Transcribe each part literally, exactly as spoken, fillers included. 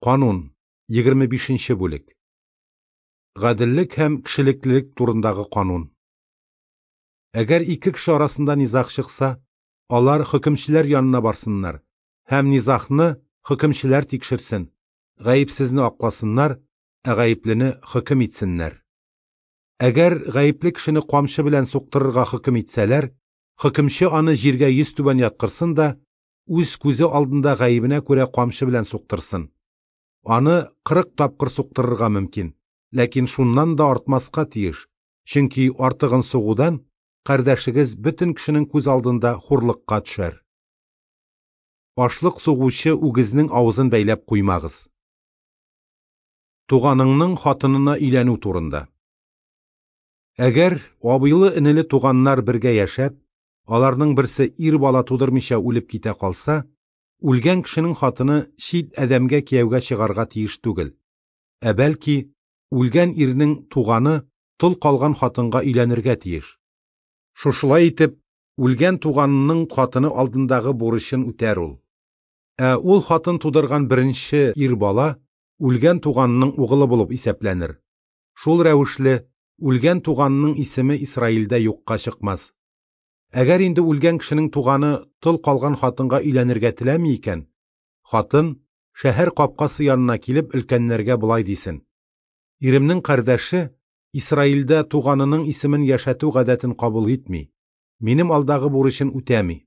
Канун, егерме бишенче бүлек. Гаделлек һәм кешелеклелек турындагы канун. Әгәр ике кеше арасында низаг чыкса, алар хөкемчеләр янына барсыннар һәм низагны хөкемчеләр тикшерсен, гаепсезне акласыннар, ә гаеплене хөкем итсеннәр. Әгәр гаепле кешене камчы белән суктырырга хөкем итсәләр, хөкемче аны җиргә йөзтүбән яткырсын да, үз күзе алдында гаебенә күрә камчы белән суктырсын. Аны кырык тапкыр суктырырга мөмкин, ләкин шуннан да артмаска тиеш, чөнки артыгын сугудан кардәшегез бөтен кешенең күз алдында хурлыкка төшәр. Ашлык сугучы үгезнең авызын бәйләп куймагыз. Туганыңның хатынына өйләнү турында. Әгәр абыйлы-энеле туганнар бергә яшәп, аларның берсе ир бала тудырмыйча үлеп китә калса, үлгән кешенең хатыны чит адәмгә кияүгә чыгарга тиеш түгел. Ә бәлки, үлгән ирнең туганы тол калган хатынга өйләнергә тиеш. Шушылай итеп, үлгән туганының хатыны алдындагы бурычын үтәр ул. Ә ул хатын тудырган беренче ир бала үлгән туганының угылы булып исәпләнер. Шул рәвешле үлгән туганының исеме Исраилдә юкка чыкмас. Әгәр инде үлгән кешенең туганы тол калган хатынга өйләнергә теләми икән, хатын шәһәр капкасы янына килеп өлкәннәргә болай дисен: Иремнең кардәше Исраилдә туганының исемен яшәтү гадәтен кабул итми, минем алдагы бурычын үтәми.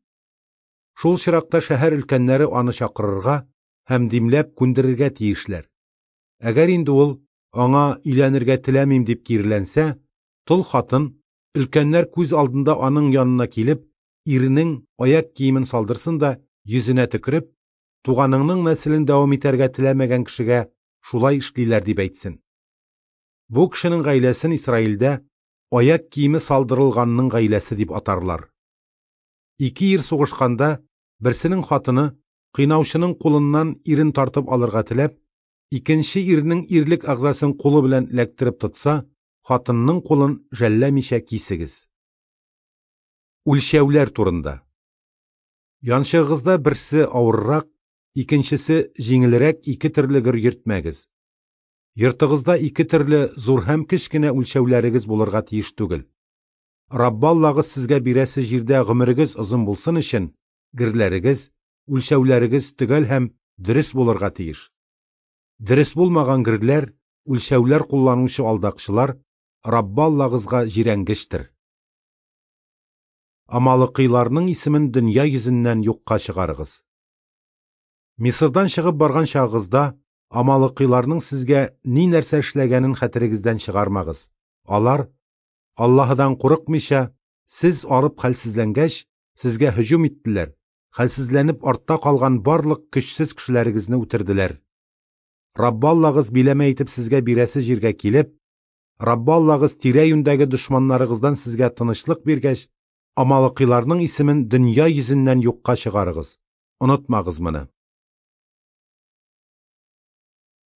Шул чиракта шәһәр өлкәннәре аны чакырырга һәм димләп күндерергә тиешләр. Әгәр инде ул аңа өйләнергә теләмим дип киреләнсә, тол хатын өлкәннәр күз алдында аның янына килеп, иренең аяк киемен салдырсын да йөзенә төкереп, туганыңның нәселен дәвам итәргә теләмәгән кешегә шулай эшлиләр дип әйтсен. Бу кешенең гаиләсен Исраилдә аяк киеме салдырылганның гаиләсе дип атарлар. Ике ир сугышканда, берсенең хатыны кыйнаучының кулыннан ирен тартып алырга теләп, икенче ирнең ирлек әгъзасын кулы белән эләктереп тотса, хатынның кулын жәлләмичә кисегез. Үлчәүләр турында. Янчыгыгызда берсе авыррак, икенчесе җиңелрәк ике төрле гер йөртмәгез. Йортыгызда ике төрле зур һәм кечкенә үлчәүләрегез булырга тиеш түгел. Раббы Аллагыз сезгә бирәсе җирдә гомерегез озын булсын өчен герләрегез, үлчәүләрегез төгәл һәм дөрес булырга тиеш. Дөрес булмаган герләр, үлчәүләр кулланучы алдакчылар Раббы Аллагызга җирәнгечтер. Амалыкыйларның исемен дөнья йөзеннән юкка чыгарыгыз. Мисырдан чыгып барган чагыгызда амалыкыйларның сезгә ни нәрсә эшләгәнен хәтерегездән чыгармагыз. Алар, Аллаһыдан курыкмыйча, сез арып хәлсезләнгәч, сезгә һөҗүм иттеләр, хәлсезләнеп артта калган барлык көчсез кешеләрегезне үтерделәр. Раббы Аллагыз биләмә итеп сезгә бирәсе җиргә килеп, Раббы Аллагыз тирә-юньдәге дошманнарыгыздан сезгә тынычлык биргәч, амалыкыйларның исемен дөнья йөзеннән юкка чыгарыгыз. Онытмагыз моны.